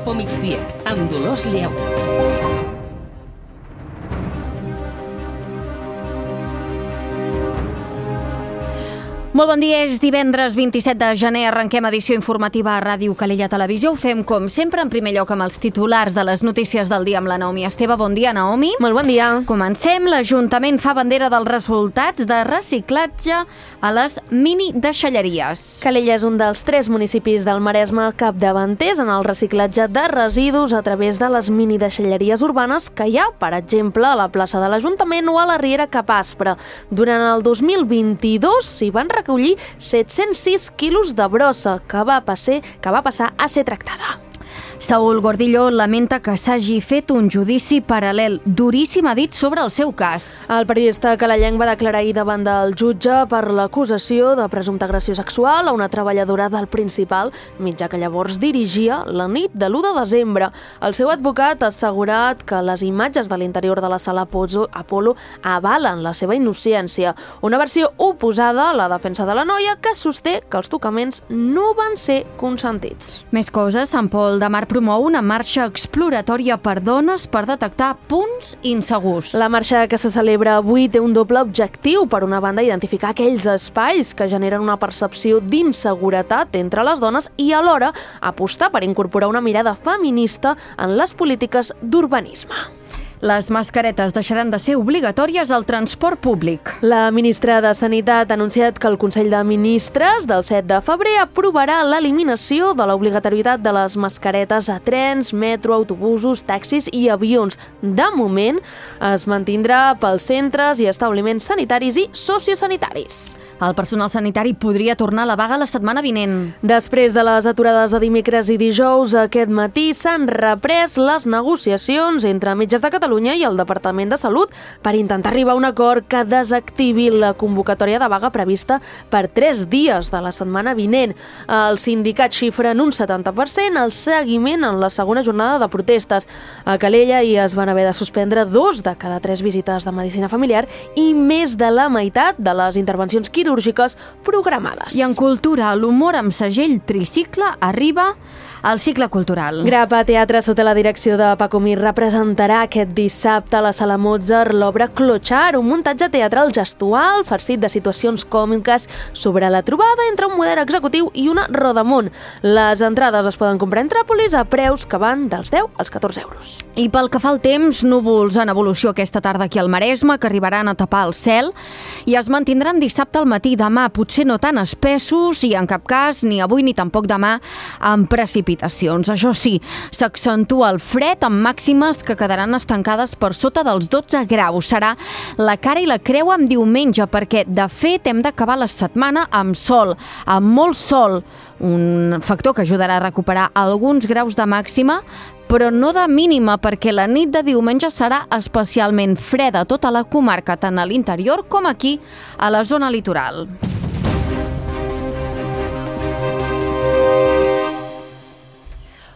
Info Migdia, amb Dolors Lleó. Molt bon dia, és divendres 27 de gener, arrenquem edició informativa a Ràdio Calella Televisió. Ho fem, com sempre, en primer lloc amb els titulars de les notícies del dia amb la Naomi Esteve. Bon dia, Naomi. Molt bon dia. Comencem. L'Ajuntament fa bandera dels resultats de reciclatge a les mini-deixalleries. Calella és un dels 3 municipis del Maresme capdavanters en el reciclatge de residus a través de les mini-deixalleries urbanes que hi ha, per exemple, a la plaça de l'Ajuntament o a la Riera Cap Aspre. Durant el 2022 s'hi van recollir 706 quilos de brossa que va passar a ser tractada. Saúl Gordillo lamenta que s'hagi fet un judici paral·lel. Duríssim ha dit sobre el seu cas. El periodista calellenc va declarar ahir davant del jutge per l'acusació de presumpta agressió sexual a una treballadora del Principal, mitjà que llavors dirigia la nit de l'1 de desembre. El seu advocat ha assegurat que les imatges de l'interior de la sala Apolo avalen la seva innocència. Una versió oposada a la defensa de la noia, que sosté que els tocaments no van ser consentits. Més coses. Sant Pol de Mar promou una marxa exploratòria per dones per detectar punts insegurs. La marxa que se celebra avui té un doble objectiu. Per una banda, identificar aquells espais que generen una percepció d'inseguretat entre les dones i alhora apostar per incorporar una mirada feminista en les polítiques d'urbanisme. Les mascaretes deixaran de ser obligatòries al transport públic. La ministra de Sanitat ha anunciat que el Consell de Ministres del 7 de febrer aprovarà l'eliminació de l'obligatorietat de les mascaretes a trens, metro, autobusos, taxis i avions. De moment, es mantindrà pels centres i establiments sanitaris i sociosanitaris. El personal sanitari podria tornar a la vaga la setmana vinent. Després de les aturades de dimecres i dijous, aquest matí s'han reprès les negociacions entre Metges de Catalunya i el Departament de Salut per intentar arribar a un acord que desactivi la convocatòria de vaga prevista per 3 dies de la setmana vinent. Els sindicats xifren un 70% el seguiment en la segona jornada de protestes. A Calella hi es van haver de suspendre 2 de cada 3 visites de medicina familiar i més de la meitat de les intervencions quirúrgiques programades. I en cultura, l'humor amb segell tricicle arriba al cicle cultural. Grapa Teatre, sota la direcció de Paco Mir, representarà aquest dissabte a la Sala Mozart l'obra Clochard, un muntatge teatral gestual farcit de situacions còmiques sobre la trobada entre un model executiu i una rodamont. Les entrades es poden comprar en Tràpolis a preus que van dels 10 als 14 euros. I pel que fa al temps, núvols en evolució aquesta tarda aquí al Maresme, que arribaran a tapar el cel i es mantindran dissabte al matí. Demà potser no tan espessos i en cap cas ni avui ni tampoc demà amb precipitacions. Això sí, s'accentua el fred amb màximes que quedaran estancades per sota dels 12 graus. Serà la cara i la creu amb diumenge, perquè de fet hem d'acabar la setmana amb sol, amb molt sol, un factor que ajudarà a recuperar alguns graus de màxima, però no de mínima, perquè la nit de diumenge serà especialment freda a tota la comarca, tant a l'interior com aquí, a la zona litoral.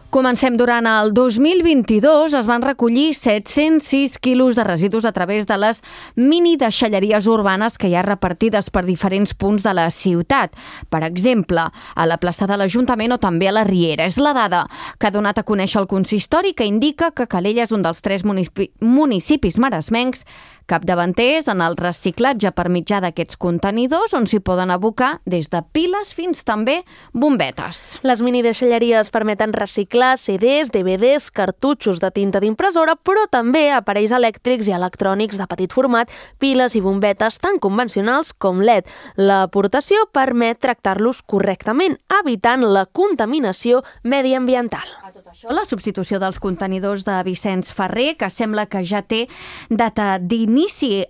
Comencem. Durant el 2022 es van recollir 706 quilos de residus a través de les mini-deixalleries urbanes que hi ha repartides per diferents punts de la ciutat. Per exemple, a la plaça de l'Ajuntament o també a la Riera. És la dada que ha donat a conèixer el consistori, que indica que Calella és un dels 3 municipis maresmencs capdavanters en el reciclatge per mitjà d'aquests contenidors, on s'hi poden abocar des de piles fins també bombetes. Les minideixalleries permeten reciclar CDs, DVDs, cartutxos de tinta d'impressora, però també aparells elèctrics i electrònics de petit format, piles i bombetes tan convencionals com LED. L'aportació permet tractar-los correctament, evitant la contaminació mediambiental. A tot això, la substitució dels contenidors de Vicenç Ferrer, que sembla que ja té data d'inici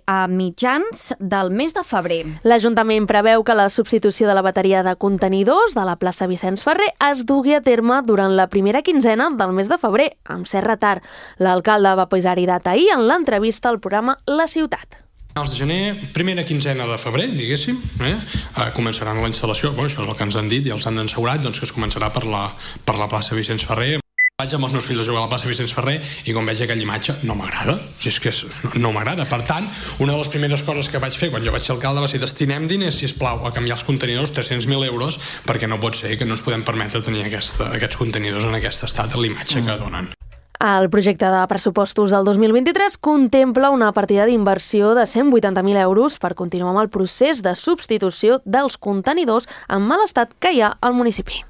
a mitjans del mes de febrer. L'Ajuntament preveu que la substitució de la bateria de contenidors de la plaça Vicenç Ferrer es dugui a terme durant la primera quinzena del mes de febrer, amb cert retard. L'alcalde va posar-hi data ahir en l'entrevista al programa La Ciutat. Finals de gener, primera quinzena de febrer, diguéssim, començaran la instal·lació. Això és el que ens han dit i els han assegurat, que es començarà per la plaça Vicenç Ferrer. Vaig amb els meus fills a jugar a la plaça Vicenç Ferrer i quan veig aquella imatge no m'agrada, no m'agrada. Per tant, una de les primeres coses que vaig fer quan jo vaig ser alcalde va ser destinem diners, sisplau, a canviar els contenidors, 300.000 euros, perquè no pot ser que no ens podem permetre tenir aquests contenidors en aquest estat, a l'imatge que donen. El projecte de pressupostos del 2023 contempla una partida d'inversió de 180.000 euros per continuar amb el procés de substitució dels contenidors en mal estat que hi ha al municipi.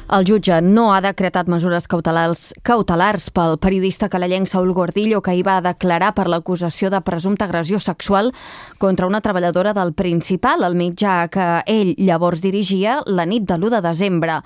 El jutge no ha decretat mesures cautelars pel periodista calellenc Saúl Gordillo, que ahir va declarar per l'acusació de presumpta agressió sexual contra una treballadora del Principal, el mitjà que ell llavors dirigia la nit de l'1 de desembre.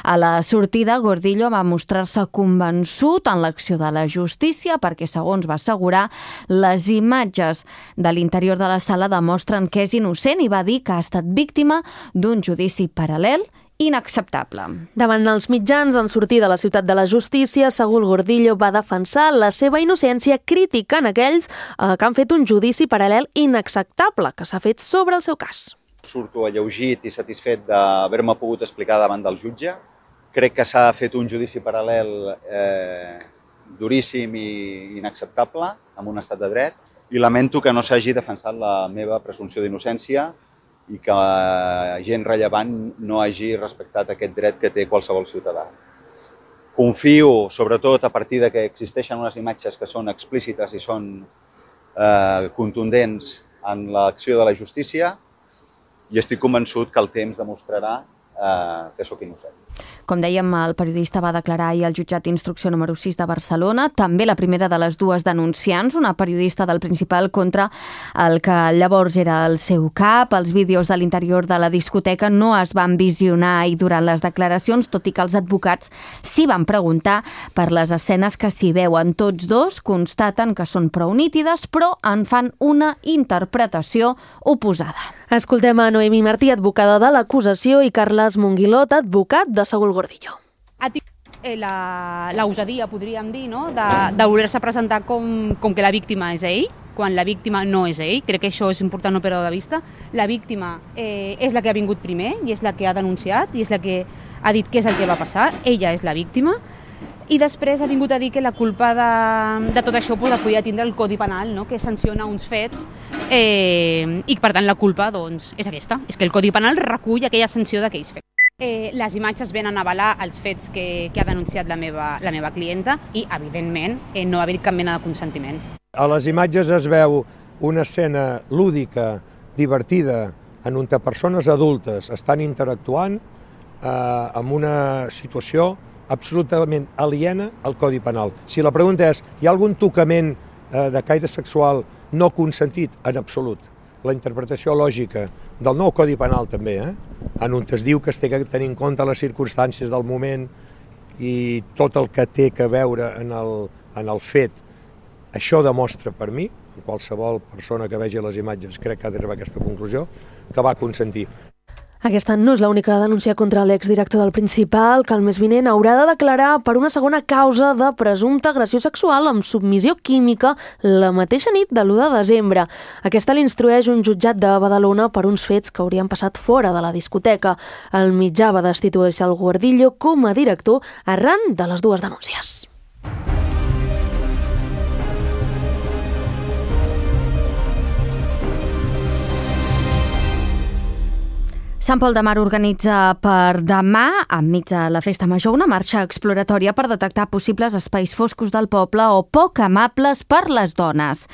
A la sortida, Gordillo va mostrar-se convençut en l'acció de la justícia perquè, segons va assegurar, les imatges de l'interior de la sala demostren que és innocent i va dir que ha estat víctima d'un judici paral·lel inacceptable. Davant els mitjans, en sortir de la ciutat de la justícia, Saúl Gordillo va defensar la seva innocència criticant aquells que han fet un judici paral·lel inacceptable que s'ha fet sobre el seu cas. Surto alleugit i satisfet d'haver-me pogut explicar davant del jutge. Crec que s'ha fet un judici paral·lel duríssim i inacceptable en un estat de dret i lamento que no s'hagi defensat la meva presumpció d'innocència i que gent rellevant no hagi respectat aquest dret que té qualsevol ciutadà. Confio, sobretot a partir de que existeixen unes imatges que són explícites i són contundents en l'acció de la justícia i estic convençut que el temps demostrarà que sóc innocent. Com dèiem, el periodista va declarar ahir al jutjat d'instrucció número 6 de Barcelona, també la primera de les dues denunciants, una periodista del Principal contra el que llavors era el seu cap. Els vídeos de l'interior de la discoteca no es van visionar i durant les declaracions, tot i que els advocats s'hi van preguntar per les escenes que s'hi veuen. Tots dos constaten que són prou nítides, però en fan una interpretació oposada. Escoltem a Noemi Martí, advocada de l'acusació, i Carles Monguilot, advocat de Saúl Gordillo. Ha tingut la usadia, podríem dir, no? de voler-se presentar com que la víctima és ell, quan la víctima no és ell. Crec que això és important no perdre de vista. La víctima és la que ha vingut primer i és la que ha denunciat i és la que ha dit què és el que va passar. Ella és la víctima. I després ha vingut a dir que la culpa de tot això la podia tindre el Codi Penal, no? Que sanciona uns fets i per tant la culpa és aquesta, és que el Codi Penal recull aquella sanció d'aquells fets. Les imatges venen a avalar els fets que ha denunciat la meva clienta i, evidentment, no ha haver cap mena de consentiment. A les imatges es veu una escena lúdica, divertida, en on persones adultes estan interactuant amb una situació absolutament aliena al Codi Penal. Si la pregunta és, hi ha algun tocament de caire sexual no consentit? En absolut. La interpretació lògica del nou Codi Penal també, en on es diu que es té que tenir en compte les circumstàncies del moment i tot el que té que veure en el fet. Això demostra per mi, qualsevol persona que vegi les imatges crec que ha d'arribar a aquesta conclusió, que va consentir. Aquesta no és l'única denúncia contra l'exdirector del Principal, que el mes vinent haurà de declarar per una segona causa de presumpta agressió sexual amb submissió química la mateixa nit de l'1 de desembre. Aquesta l'instrueix un jutjat de Badalona per uns fets que haurien passat fora de la discoteca. El mitjà va destituir el Gordillo com a director arran de les dues denúncies. Sant Pol de Mar organitza per demà, enmig de la Festa Major, una marxa exploratòria per detectar possibles espais foscos del poble o poc amables per les dones.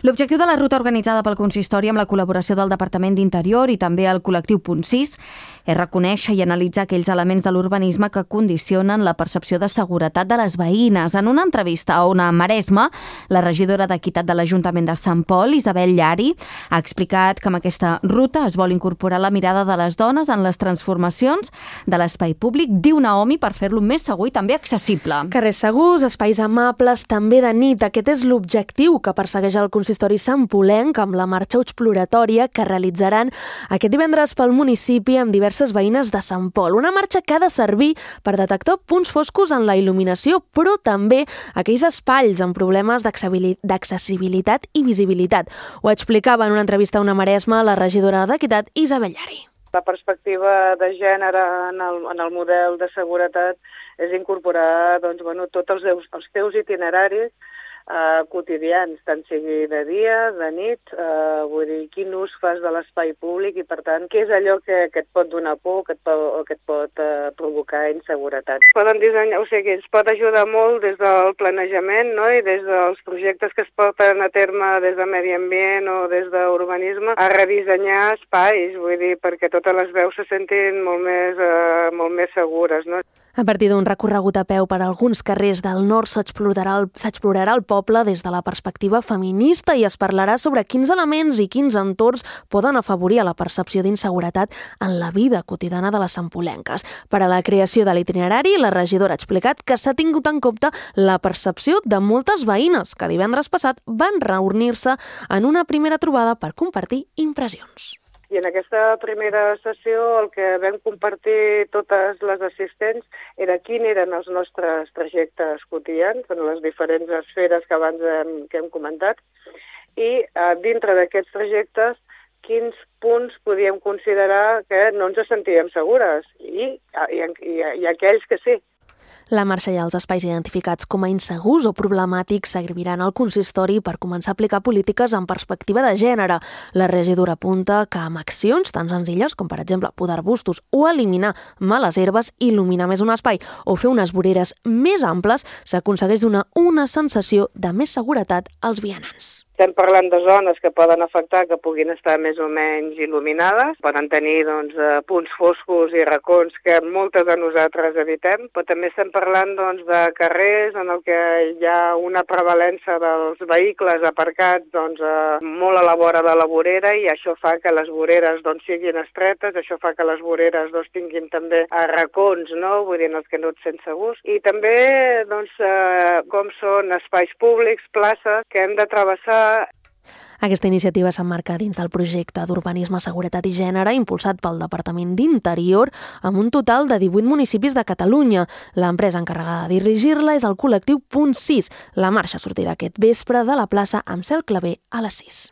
L'objectiu de la ruta organitzada pel consistori amb la col·laboració del Departament d'Interior i també el col·lectiu Punt 6 és reconèixer i analitzar aquells elements de l'urbanisme que condicionen la percepció de seguretat de les veïnes. En una entrevista a Ona Maresme, la regidora d'Equitat de l'Ajuntament de Sant Pol, Isabel Llari, ha explicat que amb aquesta ruta es vol incorporar la mirada de les dones dones en les transformacions de l'espai públic, diu Naomi, per fer-lo més segur i també accessible. Carrers segurs, espais amables, també de nit. Aquest és l'objectiu que persegueix el consistori santpolenc amb la marxa exploratòria que realitzaran aquest divendres pel municipi amb diverses veïnes de Sant Pol. Una marxa que ha de servir per detectar punts foscos en la il·luminació, però també aquells espais amb problemes d'accessibilitat i visibilitat. Ho explicava en una entrevista a Una Maresma la regidora d'Equitat, Isabel Llari. La perspectiva de gènere en el model de seguretat és incorporar tots els teus itineraris quotidians, tant sigui de dia, de nit, vull dir, quin ús fas de l'espai públic i, per tant, què és allò que et pot donar por o que et pot provocar inseguretat. Poden dissenyar, ens pot ajudar molt des del planejament, no? I des dels projectes que es porten a terme des de medi ambient o des d'urbanisme a redissenyar espais, vull dir, perquè totes les veus se sentin molt més segures, no? A partir d'un recorregut a peu per alguns carrers del nord s'explorarà el poble des de la perspectiva feminista i es parlarà sobre quins elements i quins entorns poden afavorir la percepció d'inseguretat en la vida quotidiana de les santpolenques. Per a la creació de l'itinerari, la regidora ha explicat que s'ha tingut en compte la percepció de moltes veïnes que divendres passat van reunir-se en una primera trobada per compartir impressions. I en aquesta primera sessió el que vam compartir totes les assistents era quins eren els nostres trajectes quotidians en les diferents esferes que abans hem comentat i dintre d'aquests trajectes quins punts podíem considerar que no ens sentíem segures i aquells que sí. La marxa i els espais identificats com a insegurs o problemàtics serviran al consistori per començar a aplicar polítiques en perspectiva de gènere. La regidora apunta que amb accions tan senzilles com, per exemple, podar arbustos o eliminar males herbes, il·luminar més un espai o fer unes voreres més amples, s'aconsegueix donar una sensació de més seguretat als vianants. Estem parlant de zones que poden afectar, que puguin estar més o menys il·luminades, poden tenir punts foscos i racons que moltes de nosaltres evitem, però també estem parlant de carrers en el que hi ha una prevalença dels vehicles aparcats molt a la vora de la vorera i això fa que les voreres siguin estretes, això fa que les voreres tinguin també racons, no? Vull dir, en els que no et sents segurs. I també com són espais públics, places, que hem de travessar. Aquesta iniciativa s'emmarca dins del projecte d'Urbanisme, Seguretat i Gènere impulsat pel Departament d'Interior amb un total de 18 municipis de Catalunya. L'empresa encarregada de dirigir-la és el col·lectiu Punt 6. La marxa sortirà aquest vespre de la plaça amb Cel Clavé a les 6.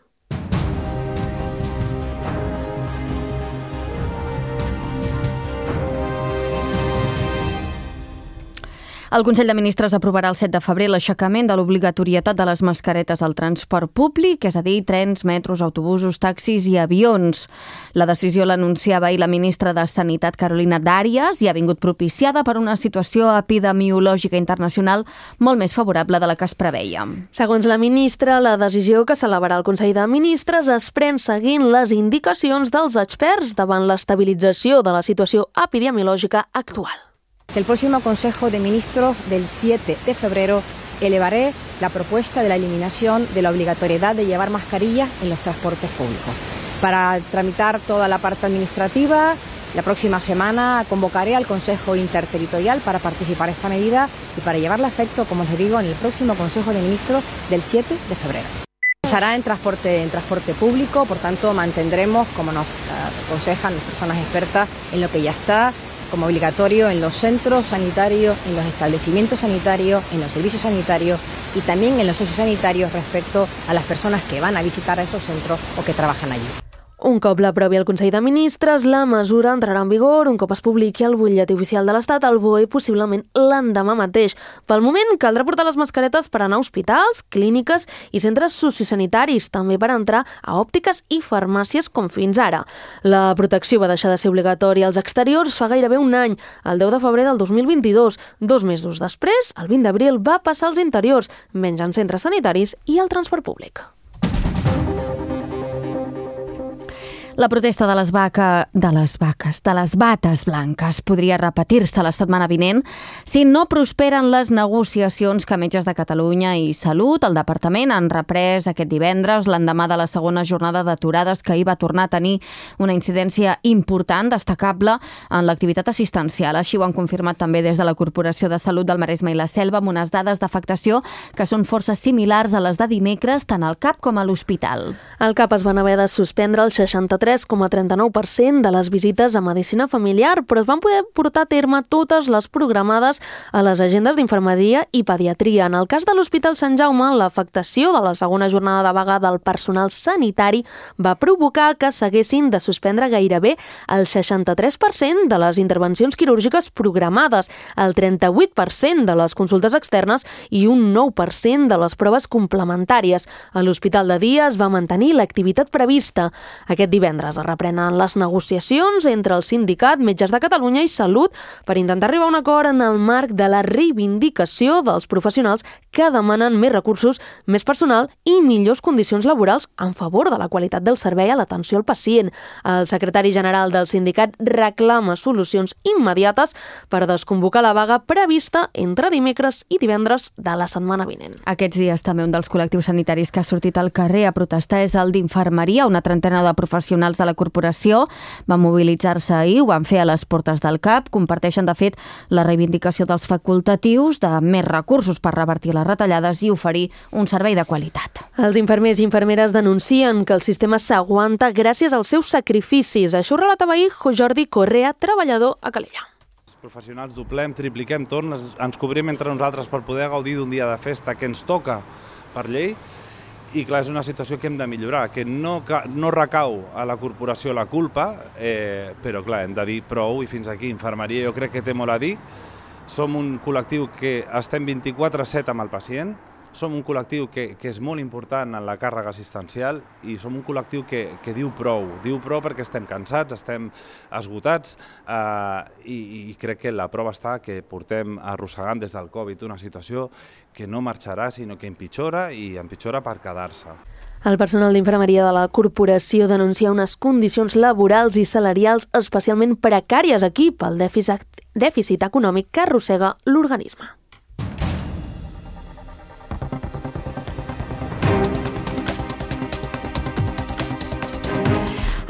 El Consell de Ministres aprovarà el 7 de febrer l'aixecament de l'obligatorietat de les mascaretes al transport públic, és a dir, trens, metros, autobusos, taxis i avions. La decisió l'anunciava ahir la ministra de Sanitat, Carolina Darias, i ha vingut propiciada per una situació epidemiològica internacional molt més favorable de la que es preveia. Segons la ministra, la decisió que celebrarà el Consell de Ministres es pren seguint les indicacions dels experts davant l'estabilització de la situació epidemiològica actual. El próximo Consejo de Ministros del 7 de febrero elevaré la propuesta de la eliminación de la obligatoriedad de llevar mascarillas en los transportes públicos. Para tramitar toda la parte administrativa, la próxima semana convocaré al Consejo Interterritorial para participar en esta medida y para llevarla a efecto, como les digo, en el próximo Consejo de Ministros del 7 de febrero. Será en transporte público, por tanto mantendremos, como nos aconsejan las personas expertas, en lo que ya está, como obligatorio en los centros sanitarios, en los establecimientos sanitarios, en los servicios sanitarios y también en los sociosanitarios respecto a las personas que van a visitar a esos centros o que trabajan allí. Un cop l'aprovi el Consell de Ministres, la mesura entrarà en vigor un cop es publiqui al butlletí oficial de l'Estat, al BOE, possiblement l'endemà mateix. Pel moment, caldrà portar les mascaretes per anar a hospitals, clíniques i centres sociosanitaris, també per entrar a òptiques i farmàcies com fins ara. La protecció va deixar de ser obligatòria als exteriors fa gairebé un any, el 10 de febrer del 2022. 2 mesos després, el 20 d'abril, va passar als interiors, menys en centres sanitaris i al transport públic. La protesta de les bates blanques podria repetir-se la setmana vinent si no prosperen les negociacions que Metges de Catalunya i Salut, el Departament, han reprès aquest divendres, l'endemà de la segona jornada d'aturades que ahir va tornar a tenir una incidència important, destacable, en l'activitat assistencial. Així ho han confirmat també des de la Corporació de Salut del Maresme i la Selva, amb unes dades d'afectació que són força similars a les de dimecres, tant al CAP com a l'hospital. Al CAP es van haver de suspendre el 63,39% de les visites a medicina familiar, però es van poder portar a terme totes les programades a les agendes d'infermeria i pediatria. En el cas de l'Hospital Sant Jaume, l'afectació de la segona jornada de vaga del personal sanitari va provocar que s'haguessin de suspendre gairebé el 63% de les intervencions quirúrgiques programades, el 38% de les consultes externes i un 9% de les proves complementàries. A l'Hospital de Dia es va mantenir l'activitat prevista. Aquest divendres es reprenen les negociacions entre el sindicat Metges de Catalunya i Salut per intentar arribar a un acord en el marc de la reivindicació dels professionals que demanen més recursos, més personal i millors condicions laborals en favor de la qualitat del servei a l'atenció al pacient. El secretari general del sindicat reclama solucions immediates per desconvocar la vaga prevista entre dimecres i divendres de la setmana vinent. Aquests dies també un dels col·lectius sanitaris que ha sortit al carrer a protestar és el d'infermeria. Una trentena de professionals de la corporació van mobilitzar-se ahir, ho van fer a les portes del CAP, comparteixen de fet la reivindicació dels facultatius de més recursos per revertir les retallades i oferir un servei de qualitat. Els infermers i infermeres denuncien que el sistema s'aguanta gràcies als seus sacrificis. Això ho relatava ahir Jordi Correa, treballador a Calella. Els professionals doblem, tripliquem torns, ens cobrim entre nosaltres per poder gaudir d'un dia de festa que ens toca per llei. I clar, és una situació que hem de millorar, que no recau a la corporació la culpa, però clar, hem de dir prou i fins aquí. Infermeria jo crec que té molt a dir. Som un col·lectiu que estem 24/7 amb el pacient, som un col·lectiu que és molt important en la càrrega assistencial i som un col·lectiu que diu prou perquè estem cansats, estem esgotats i crec que la prova està que portem arrossegant des del Covid una situació que no marxarà sinó que empitjora i empitjora per quedar-se. El personal d'infermeria de la corporació denuncia unes condicions laborals i salarials especialment precàries aquí pel dèficit econòmic que arrossega l'organisme.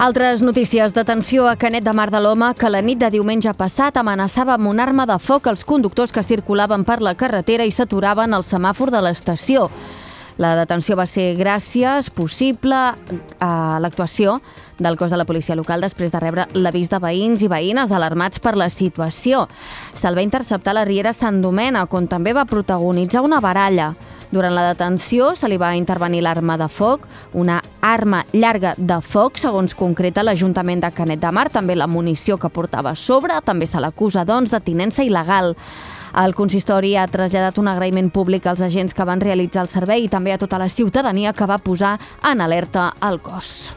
Altres notícies. Detenció a Canet de Mar de l'Home, que la nit de diumenge passat amenaçava amb una arma de foc els conductors que circulaven per la carretera i s'aturaven al semàfor de l'estació. La detenció va ser gràcies possible a l'actuació del cos de la policia local després de rebre l'avís de veïns i veïnes alarmats per la situació. Se'l va interceptar a la Riera Sant Domènec, on també va protagonitzar una baralla. Durant la detenció se li va intervenir l'arma de foc, una arma llarga de foc, segons concreta l'Ajuntament de Canet de Mar, també la munició que portava a sobre, també se l'acusa, doncs, de tinença il·legal. El consistori ha traslladat un agraïment públic als agents que van realitzar el servei i també a tota la ciutadania que va posar en alerta el cos.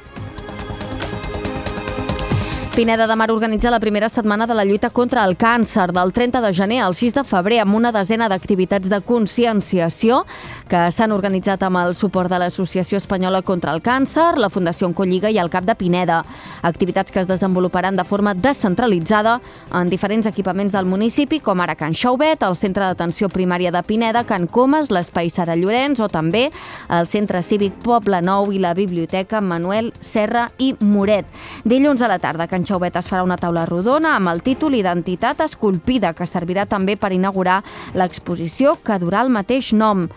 Pineda de Mar organitza la primera setmana de la lluita contra el càncer del 30 de gener al 6 de febrer amb una desena d'activitats de conscienciació que s'han organitzat amb el suport de l'Associació Espanyola contra el Càncer, la Fundació Oncolliga i el CAP de Pineda. Activitats que es desenvoluparan de forma descentralitzada en diferents equipaments del municipi, com ara Can Xauvet, el Centre d'Atenció Primària de Pineda, Can Comas, l'Espai Sara Llorenç o també el Centre Cívic Poble Nou i la Biblioteca Manuel Serra i Moret. Dilluns a la tarda, Can Xauvet es farà una taula rodona amb el títol Identitat esculpida, que servirà també per inaugurar l'exposició que durà el mateix nom.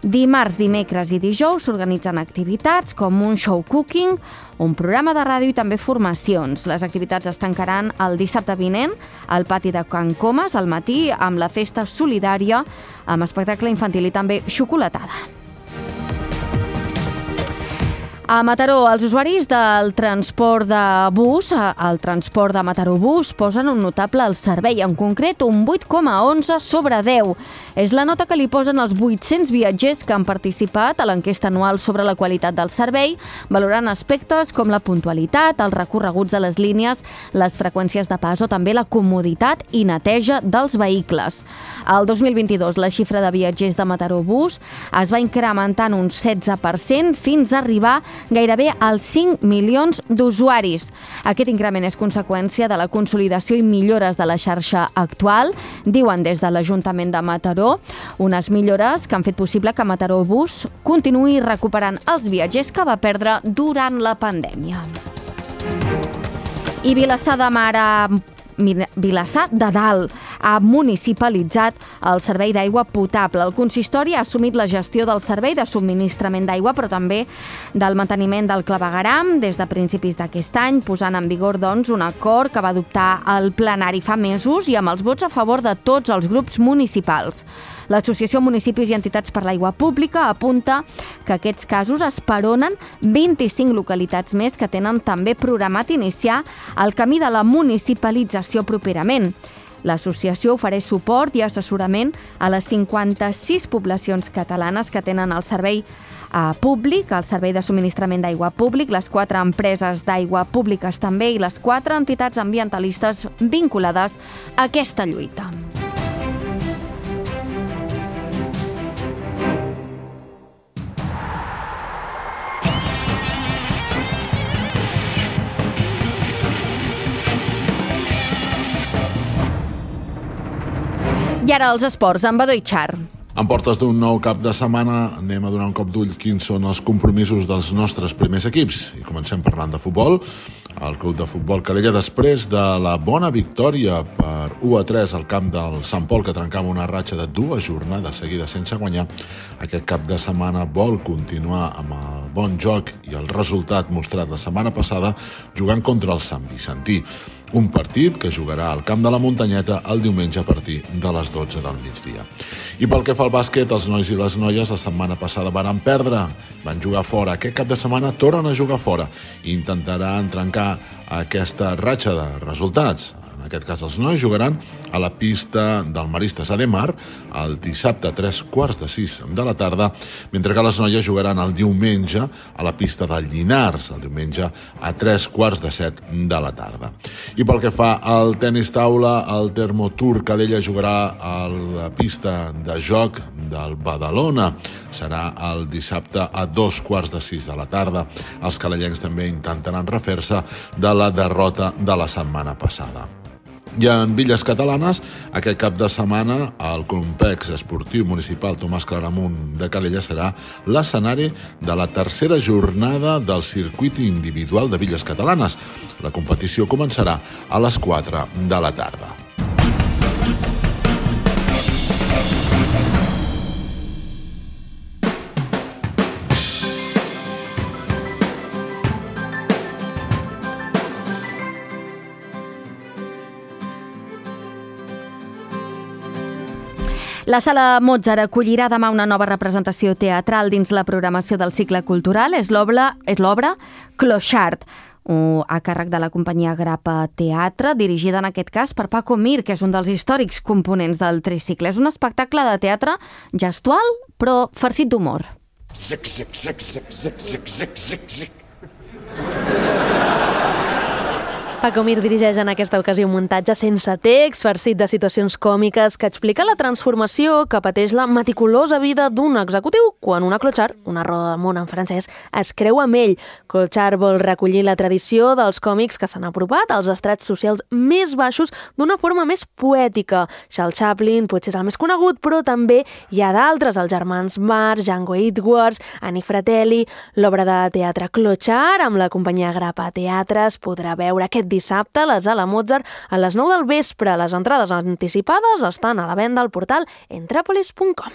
Dimarts, dimecres i dijous s'organitzen activitats com un show cooking, un programa de ràdio i també formacions. Les activitats es tancaran el dissabte vinent al pati de Can Comas al matí amb la festa solidària, amb espectacle infantil i també xocolatada. A Mataró, els usuaris del transport de bus, el transport de Mataró Bus, posen un notable al servei, en concret un 8,11 sobre 10. És la nota que li posen els 800 viatgers que han participat a l'enquesta anual sobre la qualitat del servei, valorant aspectes com la puntualitat, els recorreguts de les línies, les freqüències de pas o també la comoditat i neteja dels vehicles. El 2022, la xifra de viatgers de Mataró Bus es va incrementar en un 16% fins a arribar gairebé als 5 milions d'usuaris. Aquest increment és conseqüència de la consolidació i millores de la xarxa actual, diuen des de l'Ajuntament de Mataró, unes millores que han fet possible que Mataró Bus continuï recuperant els viatgers que va perdre durant la pandèmia. I Vilassar de Dalt ha municipalitzat el servei d'aigua potable. El consistori ha assumit la gestió del servei de subministrament d'aigua, però també del manteniment del clavegueram des de principis d'aquest any, posant en vigor un acord que va adoptar el plenari fa mesos i amb els vots a favor de tots els grups municipals. L'Associació Municipis i Entitats per l'Aigua Pública apunta que aquests casos esperonen 25 localitats més que tenen també programat iniciar el camí de la municipalització properament. L'associació ofereix suport i assessorament a les 56 poblacions catalanes que tenen el servei públic, el servei de subministrament d'aigua públic, les 4 empreses d'aigua públiques també i les 4 entitats ambientalistes vinculades a aquesta lluita. I ara els esports, amb Badó Itxar. En portes d'un nou cap de setmana anem a donar un cop d'ull quins són els compromisos dels nostres primers equips. I comencem parlant de futbol. El Club de Futbol Calella, després de la bona victòria per 1-3 al camp del Sant Pol, que trencava una ratxa de 2 jornades seguides sense guanyar, aquest cap de setmana vol continuar amb el bon joc i el resultat mostrat la setmana passada jugant contra el Sant Vicentí. Un partit que jugarà al Camp de la Muntanyeta el diumenge a partir de les 12 del migdia. I pel que fa al bàsquet, els nois i les noies la setmana passada van perdre, van jugar fora. Aquest cap de setmana tornen a jugar fora i intentaran trencar aquesta ratxa de resultats. En aquest cas, els nois jugaran a la pista del Maristes Ademar el dissabte a 5:45 de la tarda, mentre que les noies jugaran el diumenge a la pista del Llinars, el diumenge a 6:45 de la tarda. I pel que fa al tenis taula, el Termotur Calella jugarà a la pista de joc del Badalona. Serà el dissabte a 2:15 de la tarda. Els calellencs també intentaran refer-se de la derrota de la setmana passada. I en Villes Catalanes, aquest cap de setmana, el complex esportiu municipal Tomàs Claramunt de Calella serà l'escenari de la tercera jornada del circuit individual de Villes Catalanes. La competició començarà a les 4 de la tarda. La Sala Mozart acollirà demà una nova representació teatral dins la programació del cicle cultural. És l'obra Clochard, a càrrec de la companyia Grapa Teatre, dirigida en aquest cas per Paco Mir, que és un dels històrics components del tricicle. És un espectacle de teatre gestual, però farcit d'humor. Zic, zic, zic, zic, zic, zic, zic, zic, zic. Paco Mir dirigeix en aquesta ocasió un muntatge sense text, farcit de situacions còmiques, que explica la transformació que pateix la meticulosa vida d'un executiu quan una Clochard, una roda de món en francès, es creu amb ell. Clochard vol recollir la tradició dels còmics que s'han apropat als estrats socials més baixos d'una forma més poètica. Charles Chaplin potser és el més conegut, però també hi ha d'altres, els germans Marx, Django Edwards, Annie Fratelli. L'obra de teatre Clochard, amb la companyia Grapa Teatre, es podrà veure aquest dissabte a la Sala Mozart a les 9 del vespre. Les entrades anticipades estan a la venda al portal entrapolis.com.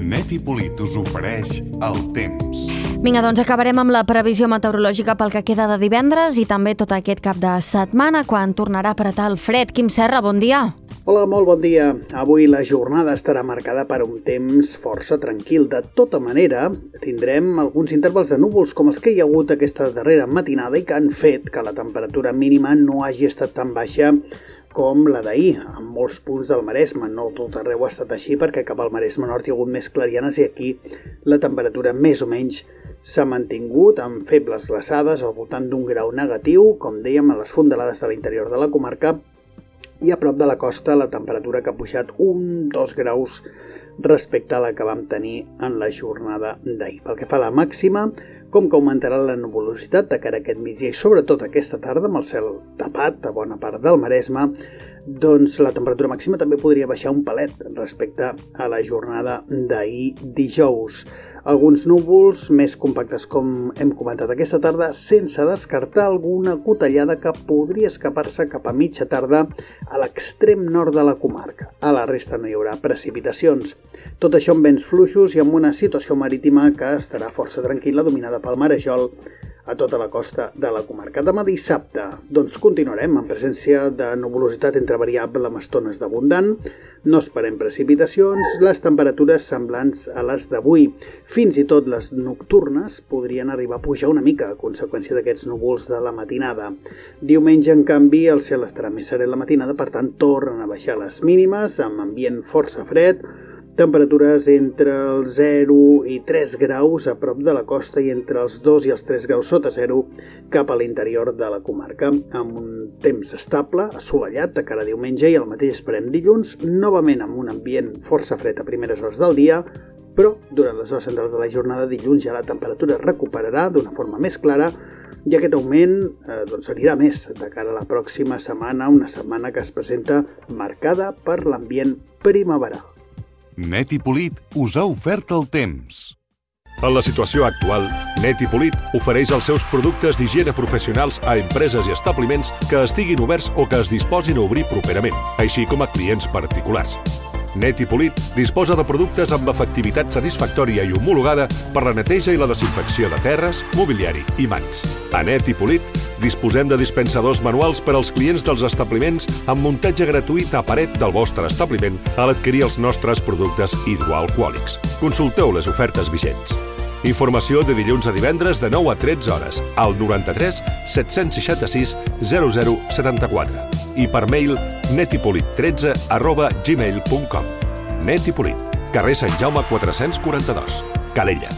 Neti Polit us ofereix el temps. Vinga, doncs acabarem amb la previsió meteorològica pel que queda de divendres i també tot aquest cap de setmana, quan tornarà a apretar el fred. Quim Serra, bon dia. Hola, molt bon dia. Avui la jornada estarà marcada per un temps força tranquil. De tota manera, tindrem alguns intervals de núvols com els que hi ha hagut aquesta darrera matinada i que han fet que la temperatura mínima no hagi estat tan baixa com la d'ahir, en molts punts del Maresme. No tot arreu ha estat així, perquè cap al Maresme Nord hi ha hagut més clarianes i aquí la temperatura més o menys s'ha mantingut amb febles glaçades al voltant d'1 grau negatiu, com dèiem, a les fondalades de l'interior de la comarca, i a prop de la costa la temperatura que ha pujat 1-2 graus respecte a la que vam tenir en la jornada d'ahir. Pel que fa a la màxima, com que augmentarà la nuvolositat de cara a aquest migdia i sobretot aquesta tarda amb el cel tapat a bona part del Maresme, doncs la temperatura màxima també podria baixar un pelet respecte a la jornada d'ahir dijous. Alguns núvols més compactes, com hem comentat aquesta tarda, sense descartar alguna cotellada que podria escapar-se cap a mitja tarda a l'extrem nord de la comarca. A la resta no hi haurà precipitacions. Tot això amb vents fluixos i amb una situació marítima que estarà força tranquil·la, dominada pel marejol a tota la costa de la comarca. Demà dissabte, doncs continuarem en presència de nuvolositat entre variable amb estones d'abundant. No esperem precipitacions, les temperatures semblants a les d'avui. Fins i tot les nocturnes podrien arribar a pujar una mica a conseqüència d'aquests núvols de la matinada. Diumenge, en canvi, el cel estarà més serè la matinada, per tant, tornen a baixar les mínimes, amb ambient força fred, temperatures entre els 0 i 3 graus a prop de la costa i entre els 2 i els 3 graus sota 0 cap a l'interior de la comarca, amb un temps estable, assolellat de cara a diumenge, i el mateix esperem dilluns, novament amb un ambient força fred a primeres hores del dia, però durant les hores centrals de la jornada dilluns ja la temperatura recuperarà d'una forma més clara i aquest augment anirà més de cara a la pròxima setmana, una setmana que es presenta marcada per l'ambient primaveral. Net i Polit us ha ofert el temps. En la situació actual, Net i Polit ofereix els seus productes d'higiene professionals a empreses i establiments que estiguin oberts o que es disposin a obrir properament, així com a clients particulars. Net i Polit disposa de productes amb efectivitat satisfactòria i homologada per la neteja i la desinfecció de terres, mobiliari i mans. A Net i Polit disposem de dispensadors manuals per als clients dels establiments amb muntatge gratuït a paret del vostre establiment a l'adquirir els nostres productes hidroalcohòlics. Consulteu les ofertes vigents. Informació de dilluns a divendres de 9 a 13 hores al 93 766 0074 i per mail netipolit13@gmail.com. Net i Polit, carrer Sant Jaume 442, Calella.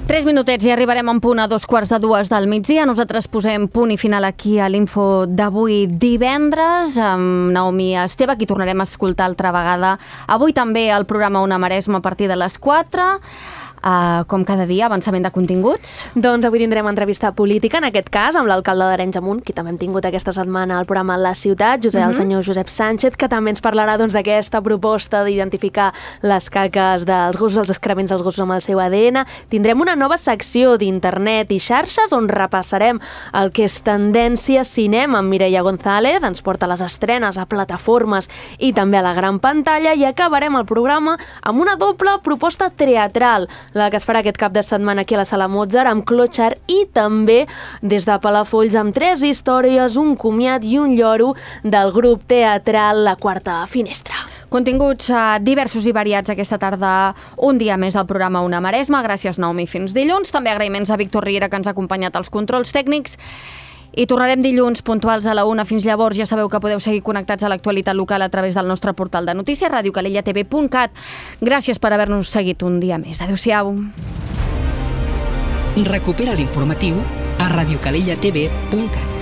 3 minutets i arribarem en punt a 2:45 del migdia. Nosaltres posem punt i final aquí a l'info d'avui divendres amb Naomi Esteve, qui tornarem a escoltar altra vegada. Avui també al programa Ona Maresme a partir de les 4. Com cada dia, avançament de continguts. Doncs avui tindrem entrevista política, en aquest cas, amb l'alcalde d'Arenys de Munt, qui també hem tingut aquesta setmana al programa La Ciutat, el senyor Josep Sánchez, que també ens parlarà d'aquesta proposta d'identificar les caques dels gossos, els excrements dels gossos amb el seu ADN. Tindrem una nova secció d'internet i xarxes on repassarem el que és tendència cinema amb Mireia González, ens porta les estrenes a plataformes i també a la gran pantalla, i acabarem el programa amb una doble proposta teatral, la que es farà aquest cap de setmana aquí a la Sala Mozart amb Clotxar, i també des de Palafolls amb 3 històries, un comiat i un lloro del grup teatral La Quarta Finestra. Continguts diversos i variats aquesta tarda, un dia més al programa Ona Maresme. Gràcies, Naomi, fins dilluns. També agraïments a Víctor Riera, que ens ha acompanyat als controls tècnics. I tornarem dilluns puntuals a la 1. Fins llavors ja sabeu que podeu seguir connectats a l'actualitat local a través del nostre portal de notícies, radiocalellatv.cat. Gràcies per haver-nos seguit un dia més. Adéu-siau. Recupera l'informatiu a radiocalellatv.cat.